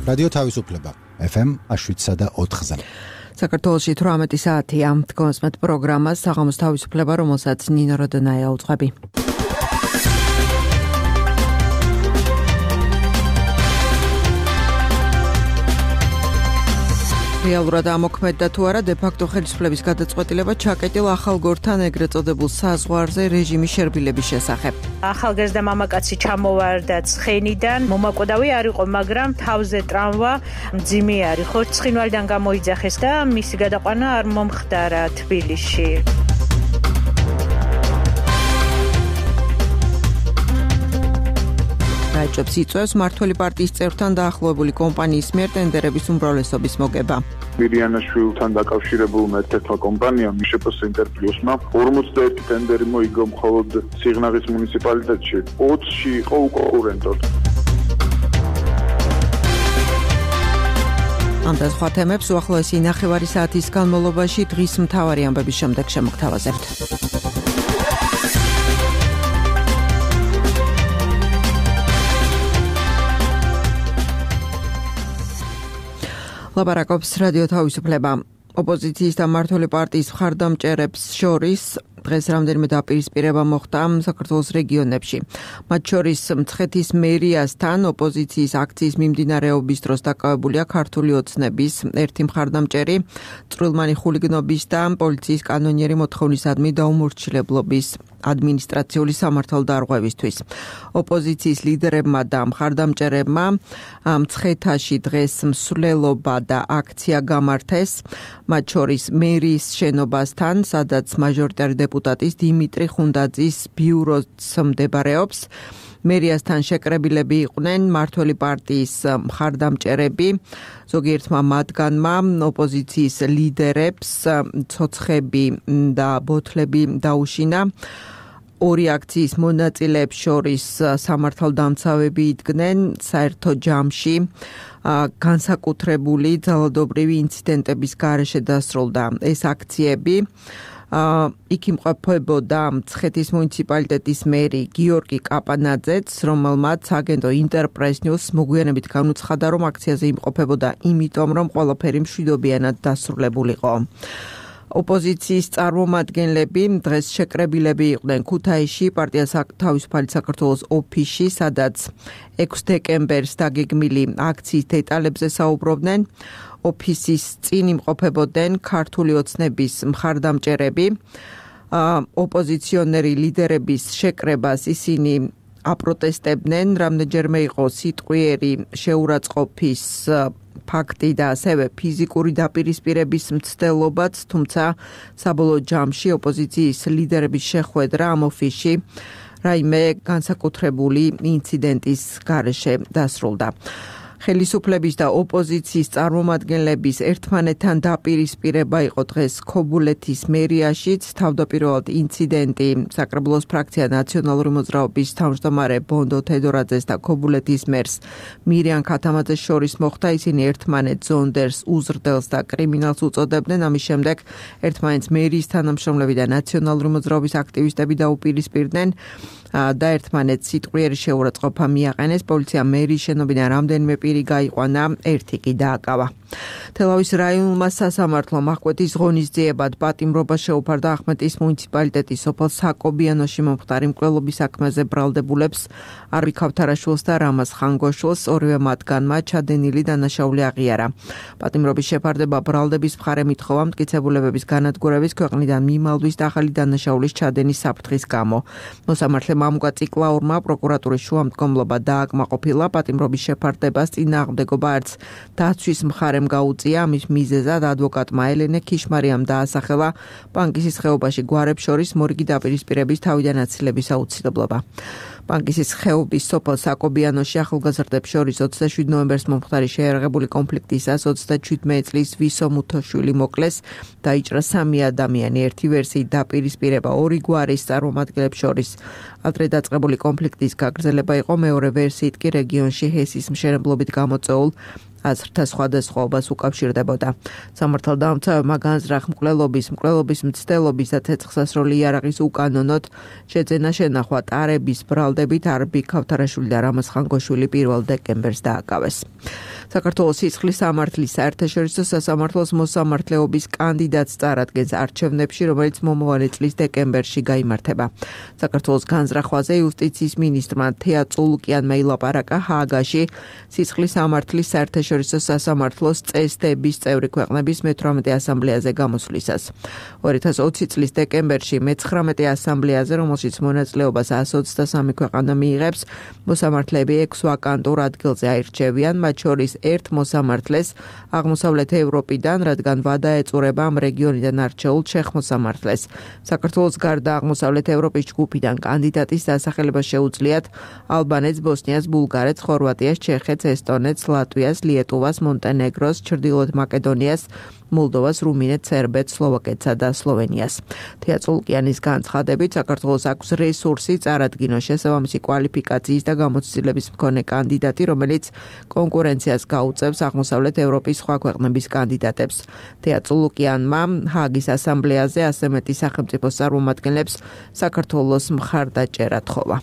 რადიო თავისუფლება FM 7.4-ზე. საქართველოში 18 საათია. თქვენს პროგრამას საღამოს თავისუფლება, რომელსაც ნინო როდონაია უძღვები. რეალურად ამოქმედდა თუ არა დე-ფაქტო ხელისუფლების გადაწყვეტილება ჩაკეტილ ახალ გორთან ეგრეთ წოდებულ საზღვარზე რეჟიმის შერბილების შესახებ. ახალგაზრდა მამაკაცი ჩამოვარდა ცხენიდან, მომაკვდავი არ იყო, მაგრამ თავზე ტრამვა მძიმე არის. ხო, ცხინვალიდან გამოიძახეს და მისი გადაყვანა არ მომხდარა თბილისში. რაჭობს იწვევს მმართველი პარტიის წევრთან დაახლოებული კომპანიის მიერ ტენდერების უმრავლესობის მოგება. მირიანაშვილთან დაკავშირებულმა ერთ-ერთმა კომპანიამ მიშეპოს ინტერპლუსმა 41 ტენდერი მოიგო მხოლოდ სიღნაღის მუნიციპალიტეტში. 20-ში იყო უკონკურენტოდ. ამ და სხვა თემებს უახლოესი ნახევარი საათის განმავლობაში დღის მთავარი ამბების შემდეგ შემოგთავაზებთ. ლაპარაკობს რადიო თავისუფლება. ოპოზიციის და მმართველი პარტიის მხარდამჭერებს შორის დღეს რამდენიმე დაპირისპირება მოხდა საქართველოს რეგიონებში. მათ შორის მცხეთის მერიასთან ოპოზიციის აქციის მიმდინარეობის დროს დაკავებულია ქართული ოცნების ერთი მხარდამჭერი, წვრილმანი ხულიგნობის და პოლიციის კანონიერი მოთხოვნისადმი დაუმორჩილებლობის ადმინისტრაციული სამართალდარღვევისთვის. ოპოზიციის ლიდერებმა და მხარდამჭერებმა მცხეთაში დღეს მსვლელობა და აქცია გამართეს, მათ შორის მერიის შენობასთან, სადაც მაჟორიტარი დეპუტატის დიმიტრი ხუნდაძის ბიუროც მდებარეობს. მერიასთან შეკრებილები იყვნენ მმართველი პარტიის მხარდამჭერები, ზოგიერთმა მათგანმა ოპოზიციის ლიდერებს ცოცხები და ბოთლები დაუშინა. ორი აქციის მონაწილეებს შორის სამართალდამცავები იდგნენ საერთო ჯამში. განსაკუთრებული ძალადობრივი ინციდენტების გარეშე დასრულდა ეს აქციები. იქ იმყოფებოდა მცხეთის მუნიციპალიტეტის მერი გიორგი კაპანაძეც, რომელმაც აგენტო ინტერპრეს ნიუს მოგვიანებით განუცხადა, რომ აქციაზე იმყოფებოდა იმიტომ, რომ ყველაფერი მშვიდობიანად დასრულებულიყო. ოპოზიციის წარმომადგენლები დღეს შეკრებილები იყვნენ ქუთაისში, პარტია თავისუფალი საქართველოს ოფისში, სადაც 6 დეკემბერს დაგეგმილი აქციის დეტალებზე საუბრობდნენ. ოფისის წინ იმყოფებოდნენ ქართული ოცნების მხარდამჭერები. ოპოზიციონერი ლიდერების შეკრებას ისინი აპროტესტებდნენ, რამდენჯერმე იყო სიტყვიერი შეურაცხყოფის ფაქტი და ასევე ფიზიკური დაპირისპირების მცდელობაც, თუმცა საბოლოო ჯამში ოპოზიციის ლიდერების შეხვედრა ამ ოფისში რაიმე განსაკუთრებული ინციდენტის გარეშე დასრულდა. ხელისუფლების და ოპოზიციის წარმომადგენლების ერთმანეთთან დაპირისპირება იყო დღეს ქობულეთის მერიაშიც. თავდაპირველად ინციდენტი საკრებულოს ფრაქცია ნაციონალური მოძრაობის თავმჯდომარე ბონდო თედორაძეს და ქობულეთის მერს მირიან ქათამაძეს შორის მოხდა. ისინი ერთმანეთს ზონდერს, უზრდელს და კრიმინალს უწოდებდნენ. ამის შემდეგ ერთმანეთს მერიის თანამშრომლები და ნაციონალური მოძრაობის აქტივისტები დაუპირისპირდნენ და ერთმანეთს სიტყვიერი შეურაცხყოფა მიაყენეს. პოლიციამ მერიის შენობიდან რამდენიმე პირი გაიყვანა, ერთი კი დააკავა. თელავის რაიონულმა სასამართლომ აღკვეთის ღონისძიებად პატიმრობა შეუფარდა ახმეტის მუნიციპალიტეტის სოფელ საკობიანოში მომხდარი მკვლელობის საქმეზე ბრალდებულებს არვი ქავთარაშვილს და რამაზ ხანგოშვილს, ორივე მათგანმა ჩადენილი დანაშაული აღიარა. პატიმრობის შეფარდება ბრალდების მხარე მითხოვა მტკიცებულებების განადგურების, ქვეყნიდან მიმალვის და ახალი დანაშაულის ჩადენის საფრთხის გამო. მოსამართლემ ამგვაწიკლაურმა პროკურატურის შუამდგომლობა დააკმაყოფილა. პატიმრობის შეფარდებას წინააღმდეგობა არც დაცვის მხარემ გაუწია. ამის მიზეზად ადვოკატმა ელენე ქიშმარიამ დაასახელა პანკისის ხეობაში გვარებს შორის მორიგი დაპირისპირების თავიდან აცილების აუცილებლობა. პანკისის ხეობის სოფელ საკობიანოში ახალგაზრდებს შორის 27 ნოემბერს მომხდარი შეიარაღებული კონფლიქტისას 37 წლის ვისო მუთოშვილი მოკლეს. დაიჭრა 3 ადამიანი. ერთი ვერსიით დაპირისპირება ორი გვარის წარმომადგენლებს შორის ადრე დაწყებული კონფლიქტის გაგრძელება იყო. მეორე ვერსიით კი რეგიონში ჰესის მშენებლობით გამოწვეულ აზრთა სხვადასხვაობას უკავშირდებოდა. სამართალდამცავებმა განზრახ მკვლელობის მცდელობის და ცეცხლსასროლი იარაღის უკანონოდ შეძენა შენახვა ტარების ბრალდებით არბი ქავთარაშვილი და რამაზ ხანგოშვილი 1 დეკემბერს დააკავეს. საქართველოს სისხლის სამართლის საერთაშორისო სასამართლოს მოსამართლეობის კანდიდატს წარადგენს არჩევნებში, რომელიც მომავალი წლის დეკემბერში გაიმართება. საქართველოს განზრახვაზე იუსტიციის მინისტრმა თეა წულუკიანმა ილაპარაკა ჰააგაში სისხლის სამართლის საერთაშორისო სასამართლოს წესდების წევრი ქვეყნების მე-18 ასამბლეაზე გამოსვლისას. 2020 წლის დეკემბერში მე-19 ასამბლეაზე, რომელშიც მონაწილეობას 123 ქვეყანა მიიღებს, მოსამართლეები 6 ვაკანტურ ადგილზე აირჩევიან, მათ შორის ერთ მოსამართლეს აღმოსავლეთ ევროპიდან, რადგან ვადა ეწურება ამ რეგიონიდან არჩეულ ჩეხ მოსამართლეს. საქართველოს გარდა აღმოსავლეთ ევროპის ჯგუფიდან კანდიდატის დასახელება შეუძლიათ ალბანეთს, ბოსნიას, ბულგარეთს, ხორვატიას, ჩეხეთს, ესტონეთს, ლატვიას, ლიეტუვას, მონტენეგროს, ჩრდილოეთ მაკედონიას, მოლდოვას, რუმინეთს, სერბეთს, სლოვაკეთსა და სლოვენიას. თეა წულუკიანის განცხადებით, საქართველოს აქვს რესურსი წარადგინოს შესაბამისი კვალიფიკაციის და გამოცდილების მქონე კანდიდატი, რომელიც კონკურენციას გაუწევს აღმოსავლეთ ევროპის სხვა ქვეყნების კანდიდატებს. თეა წულუკიანმა ჰააგის ასამბლეაზე ასე მეტი სახელმწიფოს წარმომადგენლებს საქართველოს მხარდაჭერა თხოვა.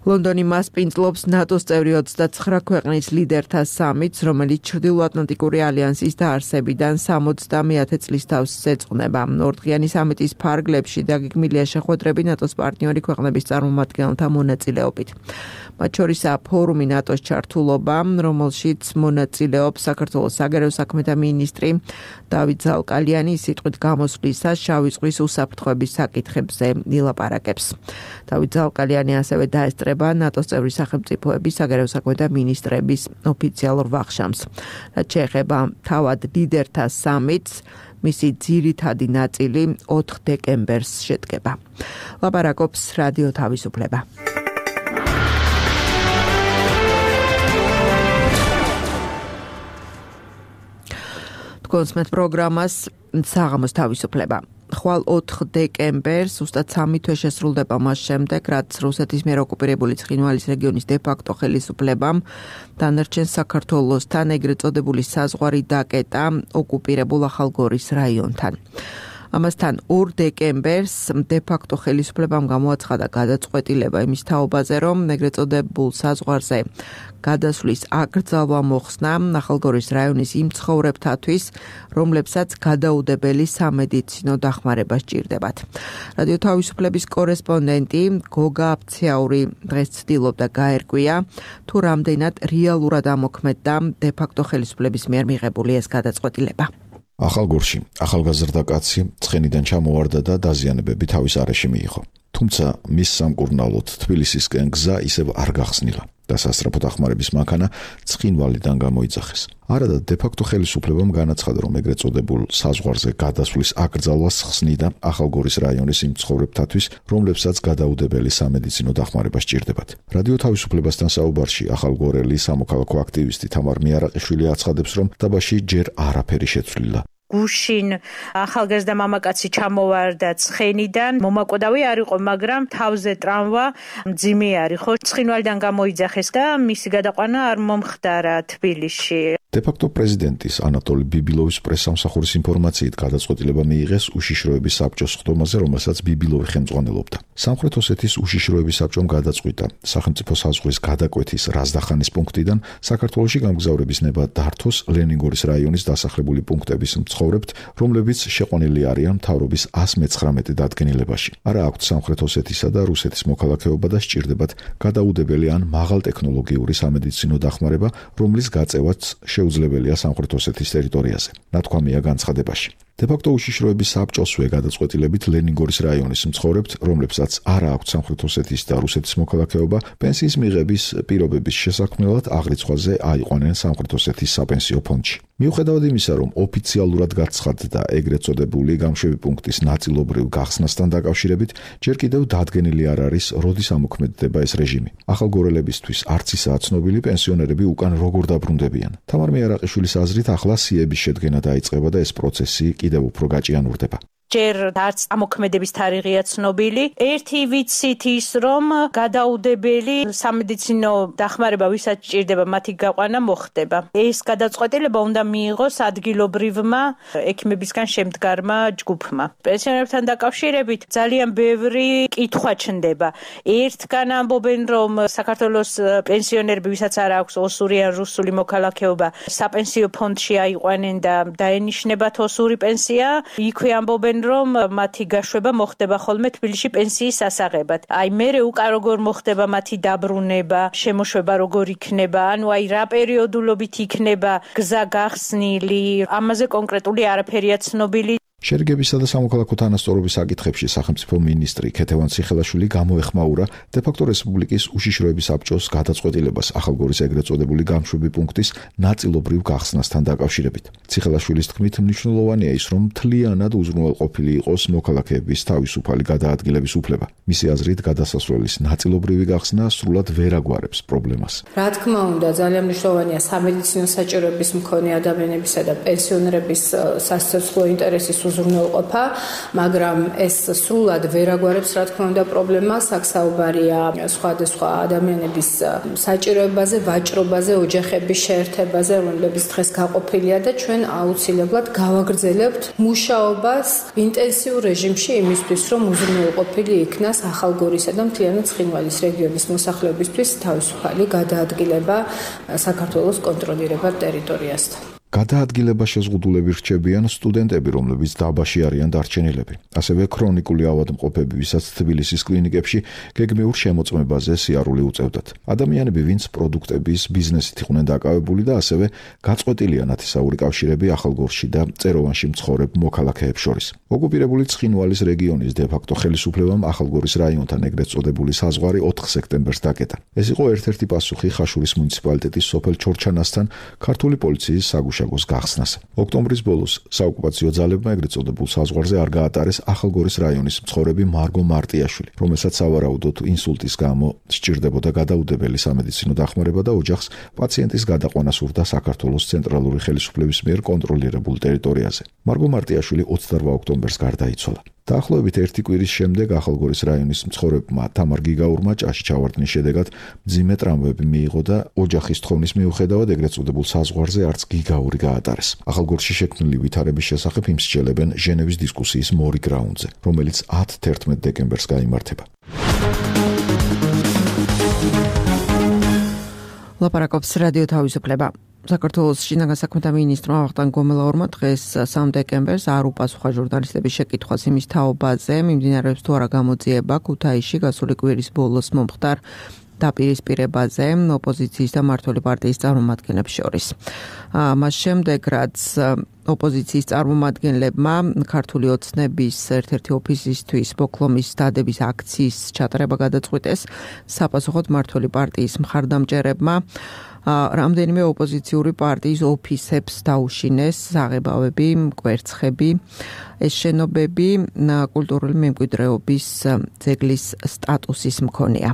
ლონდონი მასპინძლობს ნატოს წევრი 29 ქვეყნის ლიდერთა სამიტს, რომელიც ჩრდილოატლანტიკური ალიანსის დაარსებიდან 70-100 წლის თავს ეძღვნება. ორდღიანი სამიტის ფარგლებში დაგეგმილია შეხვედრები ნატოს პარტნიორი ქვეყნების წარმომადგენელთა მონაწილეობით. მათ შორისაა ფორუმი ნატოს ჩართულობა, რომელშიც მონაწილეობს საქართველოს საგარეო საქმეთა მინისტრი დავით ზალკალიანი, სიტყვით გამოსვლისას შავი ზღვის უსაფრთხოების საკითხებზე ილაპარაკებს. დავით ზალკალიანი ასევე დაესწრება ნატოს წევრი სახელმწიფოების საგარეო საქმეთა მინისტრების ოფიციალურ ვახშამს. რაც შეეხება თავად ლიდერთა სამიტს, მისი ძირითადი ნაწილი 4 დეკემბერს შედგება. ლაპარაკობს რადიო თავისუფლება. კონსმეთ პროგრამას საღამოს თავისუფლება. ხვალ 4 დეკემბერს უსტად 3 თვე შესრულდება მას შემდეგ, რაც რუსეთის მიერ ოკუპირებული ცხინვალის რეგიონის დე-ფაქტო ხელისუფლებამ დანარჩენ საქართველოსთან ეგრეთ წოდებული საზღვარი დაკეტა ოკუპირებულ ახალგორის რაიონთან. ამასთან 2 დეკემბერს დე-ფაქტო ხელისუფლებამ გამოაცხადა გადაწყვეტილება იმის თაობაზე, რომ ეგრეთ წოდებულ საზღვარზე გადასვლის აკრძალვა მოხსნა ახალგორის რაიონის იმ ცხოვრებთათვის, რომლებსაც გადაუდებელი სამედიცინო დახმარება სჭირდებათ. რადიო თავისუფლების კორესპონდენტი გოგა აფციაური დღეს ცდილობდა გაერკვია, თუ რამდენად რეალურად ამოქმედდა დე-ფაქტო ხელისუფლების მიერ მიღებული ეს გადაწყვეტილება. ახალგორში ახალგაზრდა კაცი ცხენიდან ჩამოვარდა და დაზიანებები თავის არეში მიიღო. თუმცა მის სამკურნალოდ თბილისისკენ გზა ისევ არ გახსნილა და სასწრაფო დახმარების მანქანა ცხინვალიდან გამოიძახეს. არადა დე-ფაქტო ხელისუფლებამ განაცხადა, რომ ეგრეთ წოდებულ საზღვარზე გადასვლის აკრძალვას ხსნიდა ახალგორის რაიონის იმ ცხოვრებთათვის, რომლებსაც გადაუდებელი სამედიცინო დახმარება სჭირდებათ. რადიო თავისუფლებასთან საუბარში ახალგორელი სამოქალაქო აქტივისტი თამარ მიარაყიშვილი აცხადებს, რომ დაბაში ჯერ არაფერი შეცვლილა. გუშინ ახალგაზრდა მამაკაცი ჩამოვარდა ცხენიდან, მომაკვდავი არ იყო, მაგრამ თავზე ტრამვა მძიმე არ იყო. ცხინვალიდან გამოიძახეს და მისი გადაყვანა არ მომხდარა თბილისში. დე-ფაქტო პრეზიდენტის ანატოლი ბიბილოვის პრესსამსახურის ინფორმაციით გადაწყვეტილება მიიღეს უშიშროების საბჭოს ხდომაზე, რომელსაც ბიბილოვი ხელმძღვანელობდა. სამხრეთ ოსეთის უშიშროების საბჭომ გადაწყვიტა სახელმწიფო საზღვრის გადაკვეთის რაზდახანის პუნქტიდან საქართველოში გამგზავრების ნება დართოს ლენინგორის რაიონის დასახლებული პუნქტების მცხოვრებთ, რომლებიც შეყვანილი არიან მთავრობის 119 დადგენილებაში. არა აქვთ სამხრეთ ოსეთისა და რუსეთის მოქალაქეობა და სჭირდებათ გადაუდებელი ან მაღალტექნოლოგიური სამედიცინო დახმარება, რომლის გაწევაც შეუძლებელია სამხრეთ ოსეთის ტერიტორიაზე. ნათქვამია განცხადებაში. დე-ფაქტო უშიშროების საბჭოსვე გადაწყვეტილებით ლენინგორის რაიონის მცხოვრებთ, რომლებსაც არა აქვთ სამხრეთ ოსეთის და რუსეთის მოქალაქეობა, პენსიის მიღების პირობების შესაქმნელად აღრიცხვაზე აიყვანენ სამხრეთ ოსეთის საპენსიო ფონდში. მიუხედავად იმისა, რომ ოფიციალურად გაცხადდა ეგრეთ წოდებული გამშვები პუნქტის ნაწილობრივ გახსნასთან დაკავშირებით, ჯერ კიდევ დადგენილი არ არის, როდის ამოქმედდება ეს რეჟიმი. ახალგორელებისთვის არც ისაა ცნობილი პენსიონერები უკან როგორ დაბრუნდებიან. თამარ მიარაყიშვილის აზრით, ახლა სიების შედგენა დაიწყება და ეს პროცესი კიდევ უფრო გაჭიანურდება. ჯერ არც ამოქმედების თარიღია ცნობილი. ერთი ვიცით ის, რომ გადაუდებელი სამედიცინო დახმარება ვისაც ჭირდება მათი გაყვანა მოხდება. ეს გადაწყვეტილება უნდა მიიღოს ადგილობრივმა ექიმებისგან შემდგარმა ჯგუფმა. პენსიონერებთან დაკავშირებით ძალიან ბევრი კითხვა ჩნდება. ერთგან ამბობენ, რომ საქართველოს პენსიონერები, ვისაც არ აქვს ოსური ან რუსული მოქალაქეობა, საპენსიო ფონდში აიყვანენ და დაენიშნებათ ოსური პენსია. იქვე ამბობენ, რომ მათი გაშვება მოხდება ხოლმე თბილისში პენსიის სასაღებად. მერე უკან როგორ მოხდება მათი დაბრუნება, შემოშვება როგორ იქნება, რა პერიოდულობით იქნება გზა გახსნილი, ამაზე კონკრეტული არაფერია ცნობილი. შერიგებისა და სამოქალაქო თანასწორობის საკითხებში სახელმწიფო მინისტრი ქეთევან ციხელაშვილი გამოეხმაურა დე-ფაქტო რესპუბლიკის უშიშროების საბჭოს გადაწყვეტილებას ახალგორის ეგრეთ წოდებული გამშვები პუნქტის ნაწილობრივ გახსნასთან დაკავშირებით. ციხელაშვილის თქმით, მნიშვნელოვანია ის, რომ მთლიანად უზრუნველყოფილი იყოს მოქალაქეების თავისუფალი გადაადგილების უფლება. მისი აზრით, გადასასვლელის ნაწილობრივი გახსნა სრულად ვერ აგვარებს პრობლემას. რა თქმა უნდა, ძალიან მნიშვნელოვანია სამედიცინო საჭიროების მქონე ადამიანებისა და პენსიონერების სასიცოცხლო ინტერესის უზრუნველყოფა, მაგრამ ეს სრულად ვერ აგვარებს, რა თქმა უნდა, პრობლემას. აქ საუბარია სხვადასხვა ადამიანების საჭიროებაზე, ვაჭრობაზე, ოჯახების შეერთებაზე, რომლებიც დღეს გაყოფილია და ჩვენ აუცილებლად გავაგრძელებთ მუშაობას ინტენსიურ რეჟიმში იმისთვის, რომ უზრუნველყოფილი იქნას ახალგორისა და მთლიანად ცხინვალის რეგიონის მოსახლეობისთვის თავისუფალი გადაადგილება საქართველოს კონტროლირებად ტერიტორიასთან. გადაადგილება შეზღუდულები რჩებიან სტუდენტები, რომლებიც დაბაში არიან დარჩენილები. ასევე ქრონიკული ავადმყოფები, ვისაც თბილისის კლინიკებში გეგმიურ შემოწმებაზე სიარული უწევდათ. ადამიანები, ვინც პროდუქტების ბიზნესით იყვნენ დაკავებული და ასევე გაწყვეტილია ნათესაური კავშირები ახალგორში და წეროვანში მცხოვრებ მოქალაქეებს შორის. ოკუპირებული ცხინვალის რეგიონის დე-ფაქტო ხელისუფლებამ ახალგორის რაიონთან ეგრეთ წოდებული საზღვარი 4 სექტემბერს დაკეტა. ეს იყო ერთ-ერთი პასუხი ხაშურის მუნიციპალიტეტის სოფელ ჩორჩანასთან ქართული პოლიციის საგუშაგოს გახსნას. ოქტომბრის ბოლოს საოკუპაციო ძალებმა ეგრეთ წოდებულ საზღვარზე არ გაატარეს ახალგორის რაიონის მცხოვრები მარგო მარტიაშვილი, რომელსაც სავარაუდოდ ინსულტის გამო სჭირდებოდა გადაუდებელი სამედიცინო დახმარება და ოჯახს პაციენტის გადაყვანა სურდა საქართველოს ცენტრალური ხელისუფლების მიერ კონტროლირებულ ტერიტორიაზე. მარგო მარტიაშვილი 28 ოქტომბერს გარდაიცვალა. დაახლოებით 1 კვირის შემდეგ ახალგორის რაიონის მცხოვრებმა თამარ გიგაურმა ჭაში ჩავარდნის შედეგად მძიმე ტრამვები მიიღო და ოჯახის თხოვნის მიუხედავად ეგრეთ წოდებულ საზღვარზე არც გიგაური გაატარეს. ახალგორში შექმნილი ვითარების შესახებ იმსჯელებენ ჟენევის დისკუსიის მორი გრაუნდზე, რომელიც 10-11 დეკემბერს გაიმართება. ლაპარაკობს რადიო თავისუფლება. საქართველოს შინაგან საქმეთა მინისტრმა ვახტანგ გომელაურმა დღეს 3 დეკემბერს არ უპასუხა ჟურნალისტების შეკითხვას იმის თაობაზე, მიმდინარეობს თუ არა გამოძიება ქუთაისში გასული კვირის ბოლოს მომხდარ დაპირისპირებაზე ოპოზიციის და მმართველი პარტიის წარმომადგენლებს შორის. მას შემდეგ, რაც ოპოზიციის წარმომადგენლებმა ქართული ოცნების ერთ-ერთი ოფისისთვის ბოკლომის დადების აქციის ჩატარება გადაწყვიტეს, საპასუხოდ მმართველი პარტიის მხარდამჭერებმა რამდენიმე ოპოზიციური პარტიის ოფისებს დაუშინეს საღებავები, კვერცხები. ეს შენობები კულტურული მემკვიდრეობის ძეგლის სტატუსის მქონეა.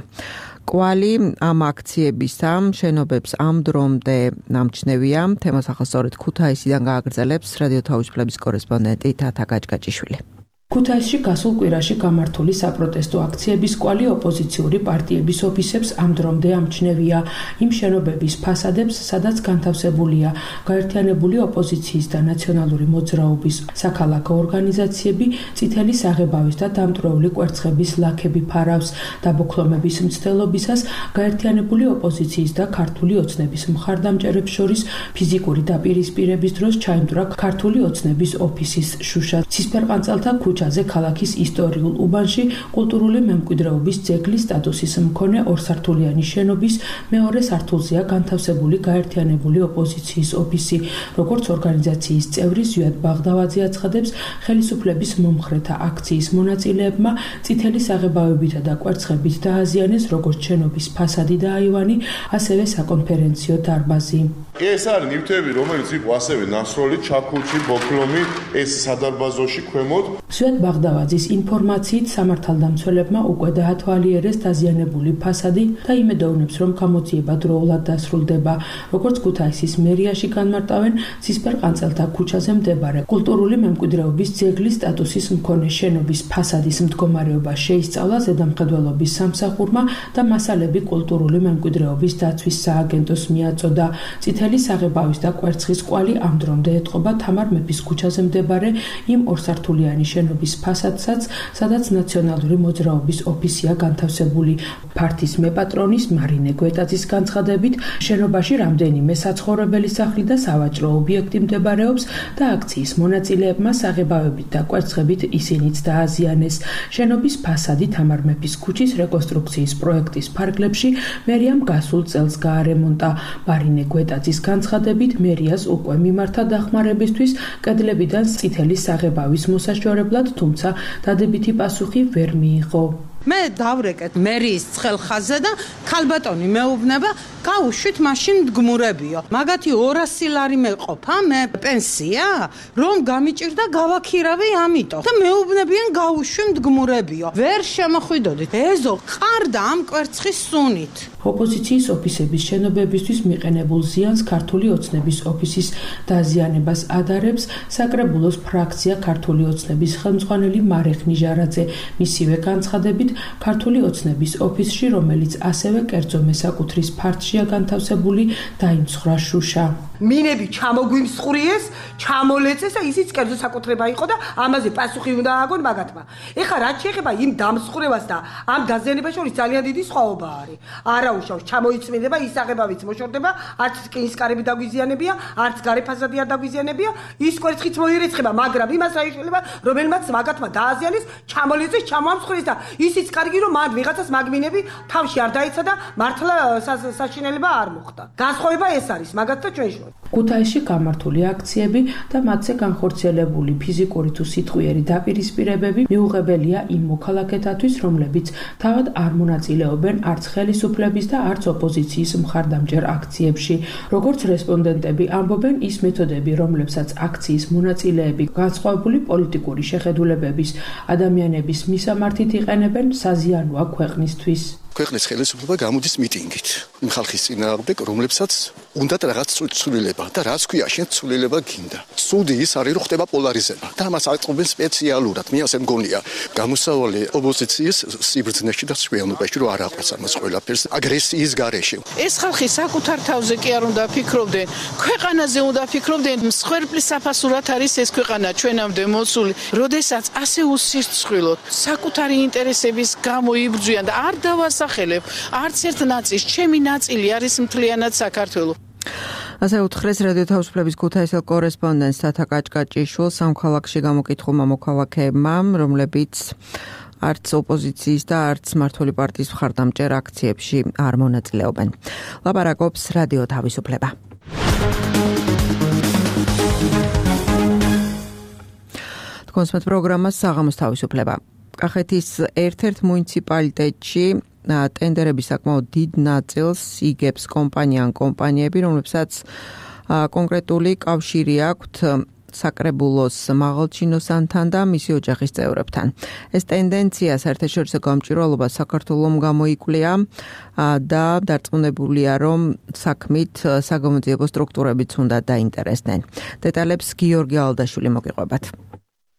კვალი ამ აქციებისა შენობებს ამ დრომდე ნამჩნევია. თემას ახასწორეთ ქუთაისიდან გააგრძელებს რადიო თავისუფლების კორესპონდენტი თათა გაჭგაჭიშვილი. ქუთაისში გასულ კვირაში გამართული საპროტესტო აქციების კვალი ოპოზიციური პარტიების ოფისებს ამ დრომდე ამჩნევია. იმ შენობების ფასადებს, სადაც განთავსებულია გაერთიანებული ოპოზიციის და ნაციონალური მოძრაობის საქალაქო ორგანიზაციები, წითელი საღებავის და დამტვრეული კვერცხების ლაქები ფარავს. დაბოქლომების მცდელობისას გაერთიანებული ოპოზიციის და ქართული ოცნების მხარდამჭერებს შორის ფიზიკური დაპირისპირების დროს ჩაიმტვრა ქართული ოცნების ოფისის შუშა. ცისფერყანწელთა ქუჩაზე ქალაქის ისტორიულ უბანში კულტურული მემკვიდრეობის ძეგლის სტატუსის მქონე ორსართულიანი შენობის მეორე სართულზეა განთავსებული გაერთიანებული ოპოზიციის ოფისი. როგორც ორგანიზაციის წევრი ზვიად ბაღდავაძე აცხადებს, ხელისუფლების მომხრეთა აქციის მონაწილეებმა წითელი საღებავებითა და კვერცხებით დააზიანეს როგორც შენობის ფასადი და აივანი, ასევე საკონფერენციო დარბაზი. ეს არის ნივთები, რომელიც იყო ასევე ნასროლი, ჩაქუჩი, ბოქლომი, ეს სადარბაზოში ქვემოთ. სვეტ ბაღდავაძის ინფორმაციით სამართალდამცველებმა უკვე დაათვალიერეს დაზიანებული ფასადი და იმედოვნებს, რომ გამოძიება დროულად დასრულდება. როგორც ქუთაისის მერიაში განმარტავენ, ცისფერყანწელთა ქუჩაზე მდებარე კულტურული მემკვიდრეობის ძეგლის სტატუსის მქონე შენობის ფასადის მდგომარეობა შეისწავლა ზედამხედველობის სამსახურმა და მასალები კულტურული მემკვიდრეობის დაცვის სააგენტოს მიაწოდა. წითელი საღებავის და კვერცხის კვალი ამ დრომდე ეტყობა თამარ მეფის ქუჩაზე მდებარე იმ ორსართულიანი შენობის ფასადსაც, სადაც ნაციონალური მოძრაობის ოფისია განთავსებული. ფართის მეპატრონის მარინე გვეტაძის განცხადებით, შენობაში რამდენიმე საცხოვრებელი სახლი და სავაჭრო ობიექტი მდებარეობს და აქციის მონაწილეებმა საღებავებით და კვერცხებით ისინიც დააზიანეს. შენობის ფასადი თამარ მეფის ქუჩის რეკონსტრუქციის პროექტის ფარგლებში მერიამ გასულ წელს გაარემონტა. მარინე გვეტაძის განცხადებით, მერიას უკვე მიმართა დახმარებისთვის კედლებიდან წითელი საღებავის მოსაშორებლად, თუმცა დადებითი პასუხი ვერ მიიღო. მე დავრეკეთ მერიის ცხელხაზზე და ქალბატონი მეუბნება გაუშვით მაშინ მდგმურებიო. მაგათი 200 ლარი მეყოფა, მე პენსია, რომ გამიჭირდა გავაქირავი ამიტომ. და მეუბნებიან გაუშვი მდგმურებიო. ვერ შემოხვიდოდით. ეზო ყარდა ამ კვერცხის სუნით. ოპოზიციის ოფისების შენობებისთვის მიყენებულ ზიანს ქართული ოცნების ოფისის დაზიანებას ადარებს საკრებულოს ფრაქცია ქართული ოცნების ხელმძღვანელი მარეხ ნიჟარაძე. მისივე განცხადებით, ქართული ოცნების ოფისში, რომელიც ასევე კერძო მესაკუთრის ფარდშია განთავსებული, დაიმსხვრა შუშა. მინები ჩამოგვიმსხვრიეს, ჩამოლეწეს და ისიც კერძო საკუთრება იყო და ამაზე პასუხი უნდა ააგონ მაგათმა. ეხლა რაც შეეხება იმ დამსხვრევას და ამ დაზიანებას შორის ძალიან დიდი სხვაობა არის. არაუშავს ჩამოიწმინდება, ისაღებავიც მოშორდება, არც კინისკარები დაგვიზიანებია, არც გარე ფასადი არ დაგვიზიანებია, ის კვერცხიც მოირეცხება, მაგრამ იმას რა იშლება, რომელმაც მაგათმა დააზიანეს, ჩამოლეწეს, ჩამოამსხვრიეს და ისიც კარგი რომ მან ვიღაცას მაგმინები თავში არ დაეცა და მართლა საშინელება არ მოხდა. განსხვავება ეს არის მაგათთან ჩვენ შორის. ქუთაისში გამართული აქციები და მათზე განხორციელებული ფიზიკური თუ სიტყვიერი დაპირისპირებები მიუღებელია იმ მოქალაქეთათვის, რომლებიც თავად არ მონაწილეობენ არც ხელისუფლების და არც ოპოზიციის მხარდამჭერ აქციებში. როგორც რესპონდენტები ამბობენ, ის მეთოდები, რომლებსაც აქციის მონაწილეები განსხვავებული პოლიტიკური შეხედულებების ადამიანების მისამართით იყენებენ, საზიანოა ქვეყნისთვის. ქვეყნის ხელისუფლება გამოდის მიტინგით იმ ხალხის წინააღმდეგ, რომლებსაც უნდათ რაღაც ცვლილება და რაც ქვია შენ ცვლილება გინდა. სუდი ის არის რომ ხდება პოლარიზება და მას აწყობენ სპეციალურად. მე ასე მგონია, გამოსავალი ოპოზიციის სიბრძნეში და სხვიანობაში რომ არ აყვეს ამას ყველაფერს აგრესიის გარეშე. ეს ხალხი საკუთარ თავზე კი არ უნდა ფიქრობდნენ, ქვეყანაზე უნდა ფიქრობდნენ. მსხვერპლის საფასურად არის ეს ქვეყანა ჩვენამდე მოცული. როდესაც ასე უსირცხვილოდ საკუთარი ინტერესების გამო იბრძვიან და არ დავასახელებ არც ერთ ნაწილს, ჩემი ნაწილი არის მთლიანად საქართველო. ასე უთხრეს რადიო თავისუფლების ქუთაისელ კორესპონდენტს თათა კაჭკაჭიშვილს სამოქალაქში გამოკითხულმა მოქალაქეებმა, რომლებიც არც ოპოზიციის და არც მმართველი პარტიის მხარდამჭერ აქციებში არ მონაწილეობენ. ლაპარაკობს რადიო თავისუფლება. თქვენს პროგრამას საღამოს თავისუფლება. კახეთის ერთ-ერთ მუნიციპალიტეტში ტენდერების საკმაოდ დიდ ნაწილს იგებს კომპანიები, რომლებსაც კონკრეტული კავშირი აქვთ საკრებულოს მაღალჩინოსანთან და მისი ოჯახის წევრებთან. ეს ტენდენცია საერთაშორისო გამჭვირვალობას საქართველომ გამოიკვლია და დარწმუნებულია, რომ საქმით საგამოძიებო სტრუქტურებიც უნდა დაინტერესდნენ. დეტალებს გიორგი ალდაშვილი მოგიყვებათ.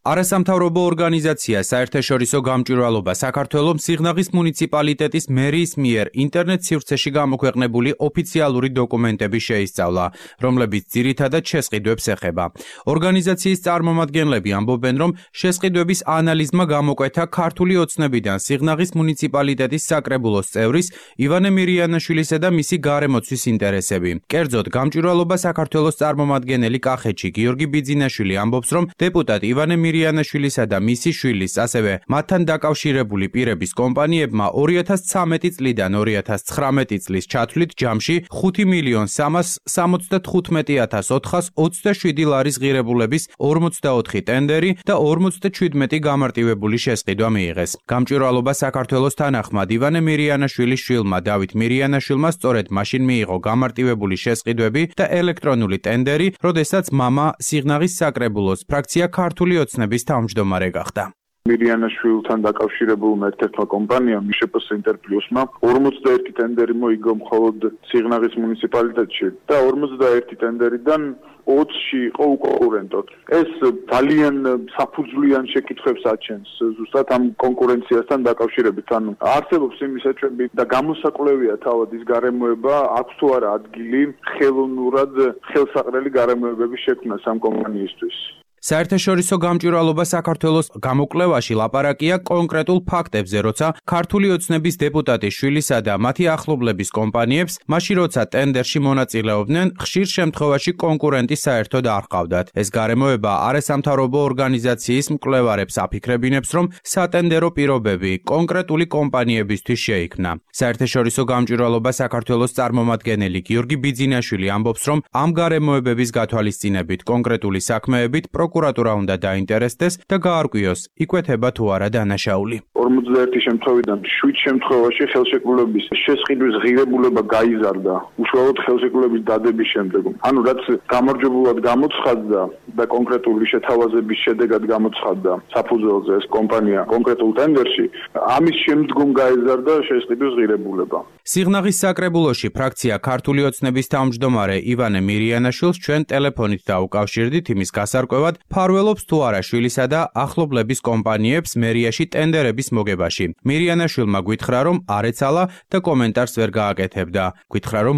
არასამთავრობო ორგანიზაცია საერთაშორისო გამჭვირვალობა საქართველოს სიღნაღის მუნიციპალიტეტის მერიის მიერ ინტერნეტ სივრცეში გამოქვეყნებული ოფიციალური დოკუმენტები შეისწავლა, რომლებიც ძირითადად შესყიდვებს ეხება. ორგანიზაციის წარმომადგენლები ამბობენ, რომ შესყიდვების ანალიზმა გამოკვეთა ქართული ოცნებიდან სიღნაღის მუნიციპალიტეტის საკრებულოს წევრის ივანე მირიანაშვილისა და მისი გარემოცვის ინტერესები. კერძოდ, გამჭვირვალობა საქართველოს წარმომადგენელი კახეთში გიორგი ბიძინაშვილი ამბობს, რომ დეპუტატ ივანე მირიანაშვილისა და მისი შვილის, ასევე მათთან დაკავშირებული პირების კომპანიებმა 2013 წლიდან 2019 წლის ჩათვლით ჯამში 5.375.427 ლარის ღირებულების 44 ტენდერი და 57 გამარტივებული შესყიდვა მიიღეს. გამჭვირვალობა საქართველოს თანახმად ივანე მირიანაშვილის შვილმა დავით მირიანაშვილმა სწორედ მაშინ მიიღო გამარტივებული შესყიდვები და ელექტრონული ტენდერი, როდესაც მამა სიღნაღის საკრებულოს ფრაქცია ქართული ოცნების თავმჯდომარე გახდა. მირიანაშვილთან დაკავშირებულმა ერთ-ერთმა კომპანიამ მიშეპოს ინტერპლუსმა 41 ტენდერი მოიგო მხოლოდ სიღნაღის მუნიციპალიტეტში და 41 ტენდერიდან 20-ში იყო უკონკურენტო. ეს ძალიან საფუძვლიან შეკითხვებს აჩენს ზუსტად ამ კონკურენციასთან დაკავშირებით. ანუ არსებობს იმის ეჭვები და გამოსაკვლევია თავად ის გარემოება, აქვს თუ არა ადგილი ხელოვნურად ხელსაყრელი გარემოებების შექმნას ამ კომპანიისთვის. საერთაშორისო გამჭვირვალობა საქართველოს გამოკვლევაში ლაპარაკია კონკრეტულ ფაქტებზე, როცა ქართული ოცნების დეპუტატის შვილისა და მათი ახლობლების კომპანიებს, მაშინ როცა ტენდერში მონაწილეობდნენ, ხშირ შემთხვევაში კონკურენტი საერთოდ არ ჰყავდათ. ეს გარემოება არასამთავრობო ორგანიზაციის მკვლევარებს აფიქრებინებს, რომ სატენდერო პირობები კონკრეტული კომპანიებისთვის შეიქმნა. საერთაშორისო გამჭვირვალობა საქართველოს წარმომადგენელი გიორგი ბიძინაშვილი ამბობს, რომ ამ გარემოებების გათვალისწინებით კონკრეტული საქმეებით პროკურატურა უნდა დაინტერესდეს და გაარკვიოს, იკვეთება თუ არა დანაშაული. 41 შემთხვევიდან 7 შემთხვევაში ხელშეკრულების შესყიდვის ღირებულება გაიზარდა უშუალოდ ხელშეკრულების დადების შემდეგ. ანუ რაც გამარჯვებულად გამოცხადდა და კონკრეტული შეთავაზების შედეგად გამოცხადდა საფუძველზე ეს კომპანია კონკრეტულ ტენდერში, ამის შემდგომ გაიზარდა შესყიდვის ღირებულება. სიღნაღის საკრებულოში ფრაქცია ქართული ოცნების თავმჯდომარე ივანე მირიანაშვილს ჩვენ ტელეფონით დაუკავშირდით იმის გასარკვევად, ფარველობს თუ არა შვილისა და ახლობლების კომპანიებს მერიაში ტენდერების მოგებაში. მირიანაშვილმა გითხრა, რომ არ ეცალა და კომენტარს ვერ გააკეთებდა. გითხრა, რომ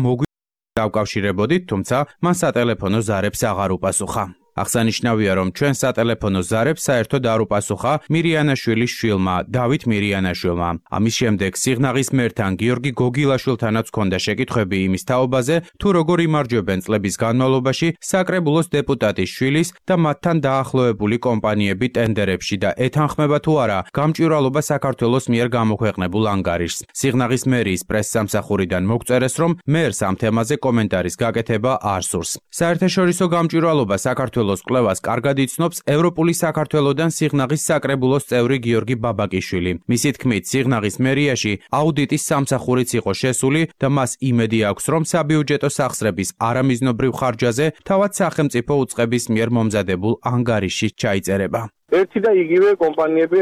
დავკავშირებოდით, თუმცა მან სატელეფონო ზარებს აღარ უპასუხა. აღსანიშნავია, რომ ჩვენ სატელეფონო ზარებს საერთოდ არ უპასუხა მირიანაშვილის შვილმა, დავით მირიანაშვილმა. ამის შემდეგ სიღნაღის მერთან გიორგი გოგილაშვილთანაც ჰქონდა შეკითხვები იმის თაობაზე, თუ როგორ იმარჯვებენ წლების განმავლობაში საკრებულოს დეპუტატის შვილის და მათთან დაახლოებული კომპანიები ტენდერებში და ეთანხმება თუ არა გამჭვირვალობა საქართველოს მიერ გამოქვეყნებულ ანგარიშს. სიღნაღის მერიის პრესსამსახურიდან მოგწერეს, რომ მერს ამ თემაზე კომენტარის გაკეთება არ სურს. საერთაშორისო გამჭვირვალობა საქართველოს კვლევას კარგად იცნობს ევროპული საქართველოდან სიღნაღის საკრებულოს წევრი გიორგი ბაბაკიშვილი. მისი თქმით, სიღნაღის მერიაში აუდიტის სამსახურიც იყო შესული და მას იმედი აქვს, რომ საბიუჯეტო სახსრების არამიზნობრივ ხარჯაზე თავად სახელმწიფო უწყების მიერ მომზადებულ ანგარიში ჩაიწერება. ერთი და იგივე კომპანიები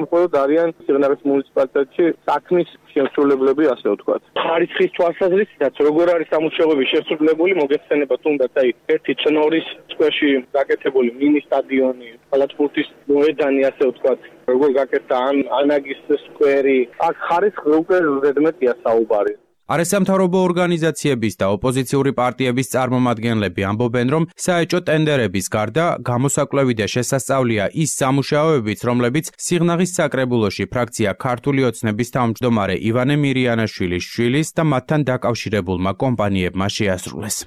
მხოლოდ არიან სიღნაღის მუნიციპალიტეტში საქმის შემსრულებლები, ასე ვთქვათ. ხარისხის თვალსაზრისითაც როგორ არის სამუშაოები შესრულებული, მოგეხსენება თუნდაც ერთი წნორის წვერში გაკეთებული მინი სტადიონი, კალათბურთის მოედანი, ასე ვთქვათ, როგორ გაკეთდა ანაგის სკვერი. აქ ხარისხი უკვე ზედმეტია საუბარი. არასამთავრობო ორგანიზაციების და ოპოზიციური პარტიების წარმომადგენლები ამბობენ, რომ საეჭო ტენდერების გარდა გამოსაკვლევი და შესასწავლია ის სამუშაოებიც, რომლებიც სიღნაღის საკრებულოში ფრაქცია ქართული ოცნების თავმჯდომარე ივანე მირიანაშვილის შვილის და მათთან დაკავშირებულმა კომპანიებმა შეასრულეს.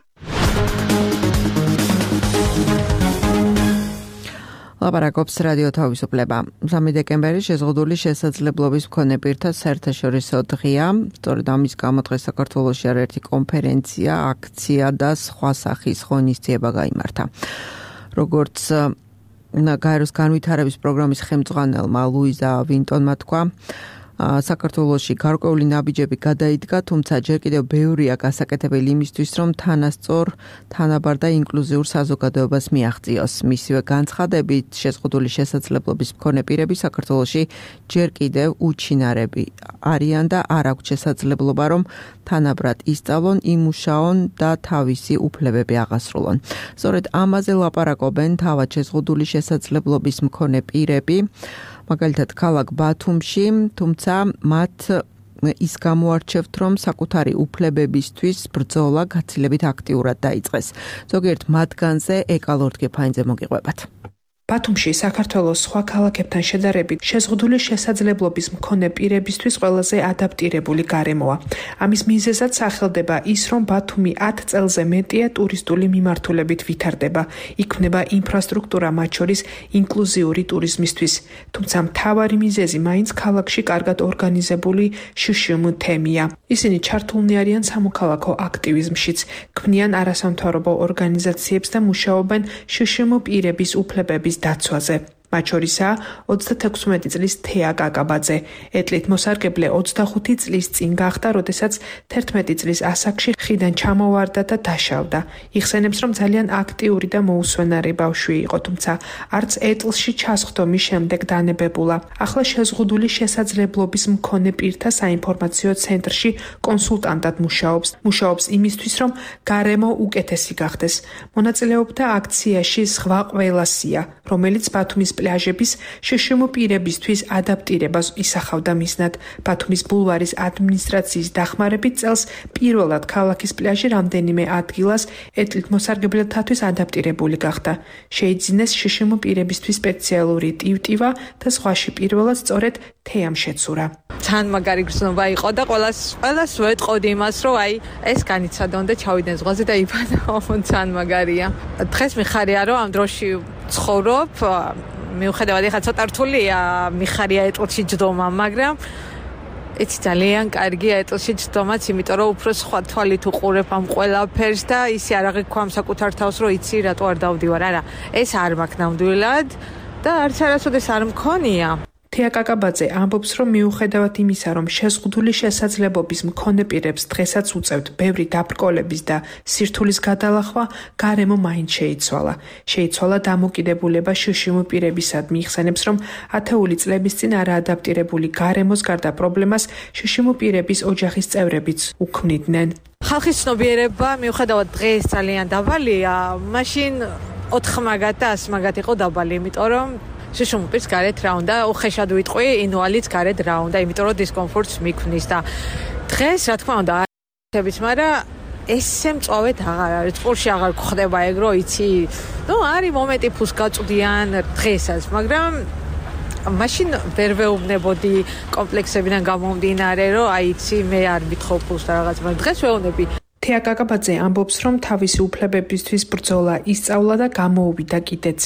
ლაპარაკობს რადიო თავისუფლება. 3 დეკემბერი შეზღუდული შესაძლებლობის მქონე პირთა საერთაშორისო დღეა. სწორედ ამის გამო დღეს საქართველოში არაერთი კონფერენცია, აქცია და სხვა სახის ღონისძიება გაიმართა. როგორც გაეროს განვითარების პროგრამის ხელმძღვანელმა ლუიზა ვინტონმა თქვა, საქართველოში გარკვეული ნაბიჯები გადაიდგა, თუმცა ჯერ კიდევ ბევრია გასაკეთებელი იმისთვის, რომ თანასწორ, თანაბარ და ინკლუზიურ საზოგადოებას მიაღწიოს. მისივე განცხადებით, შეზღუდული შესაძლებლობის მქონე პირები საქართველოში ჯერ კიდევ უჩინარები არიან და არ აქვთ შესაძლებლობა, რომ თანაბრად ისწავლონ, იმუშაონ და თავისი უფლებები აღასრულონ. სწორედ ამაზე ლაპარაკობენ თავად შეზღუდული შესაძლებლობის მქონე პირები, მაგალითად ქალაქ ბათუმში, თუმცა მათ ის გამოარჩევთ, რომ საკუთარი უფლებებისთვის ბრძოლა გაცილებით აქტიურად დაიწყეს. ზოგიერთ მათგანზე ეკალორდ გეფაინძე მოგიყვებათ. ბათუმში საქართველოს სხვა ქალაქებთან შედარებით შეზღუდული შესაძლებლობის მქონე პირებისთვის ყველაზე ადაპტირებული გარემოა. ამის მიზეზად სახელდება ის, რომ ბათუმი 10 წელზე მეტია ტურისტული მიმართულებით ვითარდება. იქმნება ინფრასტრუქტურა, მათ შორის ინკლუზიური ტურიზმისთვის. თუმცა მთავარი მიზეზი მაინც ქალაქში კარგად ორგანიზებული შშმ თემია. ისინი ჩართულნი არიან სამოქალაქო აქტივიზმშიც, ქმნიან არასამთავრობო ორგანიზაციებს და მუშაობენ შშმ პირების უფლებების დაცვაზე. მათ შორისაა 36 წლის თეა კაკაბაძე. ეტლით მოსარგებლე 25 წლის წინ გახდა, როდესაც 11 წლის ასაკში ხიდან ჩამოვარდა და დაშავდა. იხსენებს, რომ ძალიან აქტიური და მოუსვენარი ბავშვი იყო, თუმცა არც ეტლში ჩასხდომის შემდეგ დანებებულა. ახლა შეზღუდული შესაძლებლობის მქონე პირთა საინფორმაციო ცენტრში კონსულტანტად მუშაობს იმისთვის, რომ გარემო უკეთესი გახდეს. მონაწილეობდა აქციაში ზღვა ყველასია, რომელიც ბათუმის პლაჟების შშმ პირებისთვის ადაპტირებას ისახავდა მიზნად. ბათუმის ბულვარის ადმინისტრაციის დახმარებით წელს პირველად ქალაქის პლაჟი რამდენიმე ადგილას ეტლით მოსარგებლეთათვის ადაპტირებული გახდა. შეიძინეს შშმ პირებისთვის სპეციალური ტივტივა და სხვაში პირველად სწორედ თეამ შეცურა. ძალიან მაგარი გრძნობა იყო და ყველას ვეტყოდი იმას, რომ აი ეს განიცადონ და ჩავიდნენ ზღვაზე და იბანო. ძალიან მაგარია. დღეს მიხარია, რომ ამ დროში ცხოვრობ. მიუხედავად ეხლა ცოტა რთულია მიხარია ეტლში ჯდომა, მაგრამ იცი ძალიან კარგია ეტლში ჯდომაც, იმიტომ რომ უფრო სხვა თვალით უყურებ ამ ყველაფერს და ისე არ აღიქვამ საკუთარ თავს, რომ იცი რატო არ დავდივარ. არა, ეს არ მაქვს ნამდვილად და არც არასოდეს არ მქონია. თეა კაკაბაძე ამბობს, რომ მიუხედავად იმისა, რომ შეზღუდული შესაძლებლობის მქონე პირებს დღესაც უწევთ ბევრი დაბრკოლების და სირთულის გადალახვა, გარემო მაინც შეიცვალა. შეიცვალა დამოკიდებულება შშმ პირებისადმი. იხსენებს, რომ ათეული წლების წინ არაადაპტირებული გარემოს გარდა პრობლემას შშმ პირების ოჯახის წევრებიც უქმნიდნენ. ხალხის ცნობიერება მიუხედავად დღეს ძალიან დაბალია, მაშინ 4 მაგათ და 100 მაგათ იყო დაბალი, იმიტომ რომ შშმ პირს გარეთ რა უნდა, უხეშად ვიტყვი, ინვალიდს გარეთ რა უნდა, იმიტომ რომ დისკომფორტს მიქმნის და დღეს რა თქმა უნდა არის, მაგრამ ესე მწვავედ აღარ არის, სპორტში აღარ გვხდება ეგ, რომ იცი, არის მომენტი ფულს გაწვდიან დღესაც, მაგრამ მაშინ ვერ ვეუბნებოდი კომპლექსებიდან გამომდინარე, რომ იცი, მე არ მითხო ფულს და რაღაც, მაგრამ დღეს ვეუბნები. თეა კაკაბაძე ამბობს, რომ თავისი უფლებებისთვის ბრძოლა ისწავლა და გამოუვიდა კიდეც.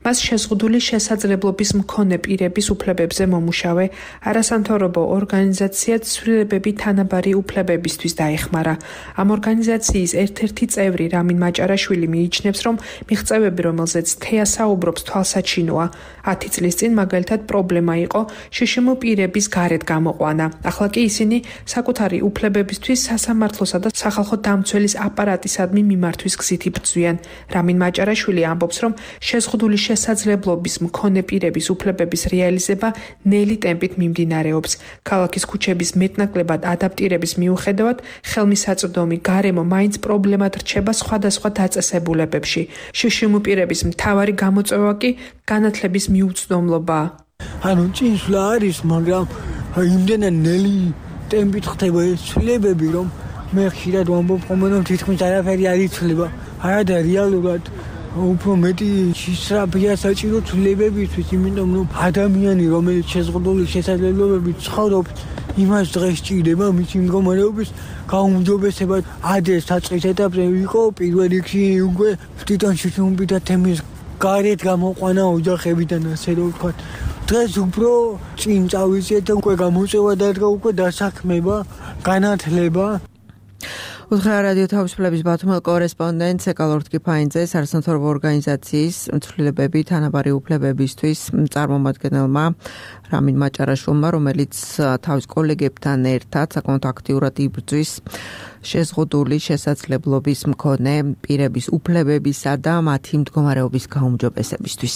მას შეზღუდული შესაძლებლობის მქონე პირების უფლებებზე მომუშავე არასამთავრობო ორგანიზაცია ცვლილებები თანაბარი უფლებებისთვის დაეხმარა. ამ ორგანიზაციის ერთ-ერთი წევრი რამინ მაჭარაშვილი მიიჩნევს, რომ მიღწევები, რომელზეც თეა საუბრობს, თვალსაჩინოა. 10 წლის წინ მაგალითად პრობლემა იყო შშმ პირების გარეთ გამოყვანა. ახლა კი ისინი საკუთარი უფლებებისთვის სასამართლოსა და სახალხო დამცველის აპარატისადმი მიმართვის გზით იბრძვიან. რამინ მაჭარაშვილი ამბობს, რომ შეზღუდული შესაძლებლობის მქონე პირების უფლებების რეალიზება ნელი ტემპით მიმდინარეობს. ქალაქის ქუჩების მეტნაკლებად ადაპტირების მიუხედავად, ხელმისაწვდომი გარემო მაინც პრობლემად რჩება სხვადასხვა დაწესებულებებში. შშმ პირების მთავარი გამოწვევა კი განათლების მიუწვდომლობაა. ჭინსვლა არის, მაგრამ იმდენად ნელი ტემპით ხდება ეს ცვლილებები, რომ მე ხშირად ვამბობ, რომ თითქმის არაფერი არ იცვლება. არა და რეალურად უფრო მეტი შესწრაფია საჭირო ცვლილებებისთვის, იმიტომ რომ ადამიანი, რომელიც შეზღუდული შესაძლებლობებით ცხოვრობს, იმას დღეს ჭირდება მისი მდგომარეობის გაუმჯობესებად. ადრე საწყის ეტაპზე იყო პირველ რიგში უკვე თვითონ შშმ-თა თემის გარეთ გამოყვანა ოჯახებიდან, ასე რომ ვთქვათ. დღეს უფრო წინ წავიწყეთ და უკვე გამოწვევა დადგა, უკვე დასაქმება, განათლება. უთხრა რადიო თავისუფლების ბათუმელ კორესპონდენტ ეკალორდ კიფაინძეს არასამთავრობო ორგანიზაციის ცვლილებები თანაბარი უფლებებისთვის წარმომადგენელმა რამინ მაჭარაშვილმა, რომელიც თავის კოლეგებთან ერთად საკმაოდ აქტიურად იბრძვის შეზღუდული შესაძლებლობის მქონე პირების უფლებებისა და მათი მდგომარეობის გაუმჯობესებისთვის.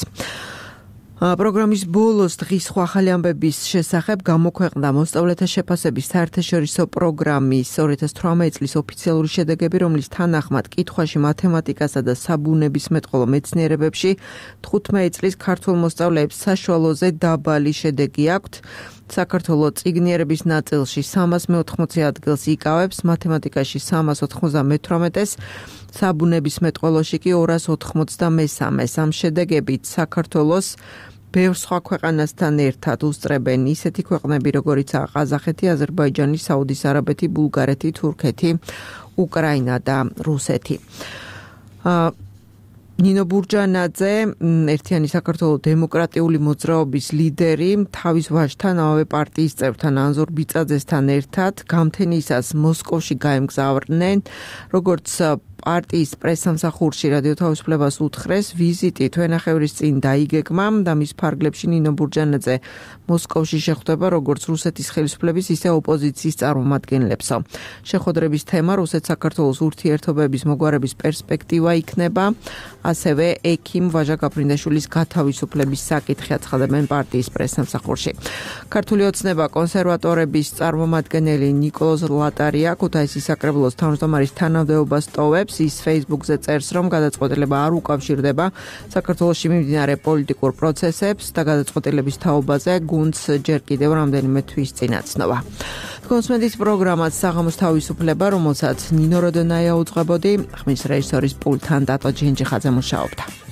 პროგრამის ბოლოს დღის სხვა ახალი ამბების შესახებ გამოქვეყნდა მოსწავლეთა შეფასების საერთაშორისო პროგრამის 2018 წლის ოფიციალური შედეგები, რომლის თანახმად კითხვაში მათემატიკასა და საბუნებისმეტყველო მეცნიერებებში 15 წლის ქართულ მოსწავლეებს საშუალოზე დაბალი შედეგი აქვთ. საქართველოს წიგნიერების ნაწილში 380 ადგილს იკავებს, მათემატიკაში 398-ს, საბუნების მეტყველოში კი 293-ს. ამ შედეგებით საქართველოს ბევრ სხვა ქვეყანასთან ერთად უსწრებენ ისეთი ქვეყნები, როგორიცაა ყაზახეთი, აზერბაიჯანი, საუდის არაბეთი, ბულგარეთი, თურქეთი, უკრაინა და რუსეთი. ნინო ბურჯანაძე, ერთიანი საქართველოს დემოკრატიული მოძრაობის ლიდერი, თავის ვაჟთან, ამავე პარტიის წევრთან ანზორ ბიწაძესთან ერთად გამთენისას მოსკოვში გაემგზავრნენ, როგორც პარტიის პრესსამსახურში რადიო თავისუფლებას უთხრეს, ვიზიტი თვენახევრის წინ დაიგეგმა და მის ფარგლებში ნინო ბურჯანაძე მოსკოვში შეხვდება როგორც რუსეთის ხელისუფლების, ისე ოპოზიციის წარმომადგენლებსო. შეხვედრების თემა რუსეთ-საქართველოს ურთიერთობების მოგვარების პერსპექტივა იქნება, ასევე ექიმ ვაჟა გაფრინდაშვილის გათავისუფლების საკითხი აცხადებენ პარტიის პრესსამსახურში. ქართული ოცნება კონსერვატორების წარმომადგენელი ნიკოლოზ ლატარია ქუთაისის საკრებულოს თავმჯდომარის თანამდებობას ტოვებს. ის Facebook-ზე წერს, რომ გადაწყვეტილება არ უკავშირდება საქართველოში მიმდინარე პოლიტიკურ პროცესებს და გადაწყვეტილების თაობაზე გუნდს ჯერ კიდევ რამდენიმე თვის წინ აცნობა. კონსმენდის პროგრამაც საღამოს თავისუფლება, რომელსაც ნინო როდონაია უძღვებოდი, ხმის რეჟისორის პულტთან დატო ჯინჯიხაძე მუშაობდა.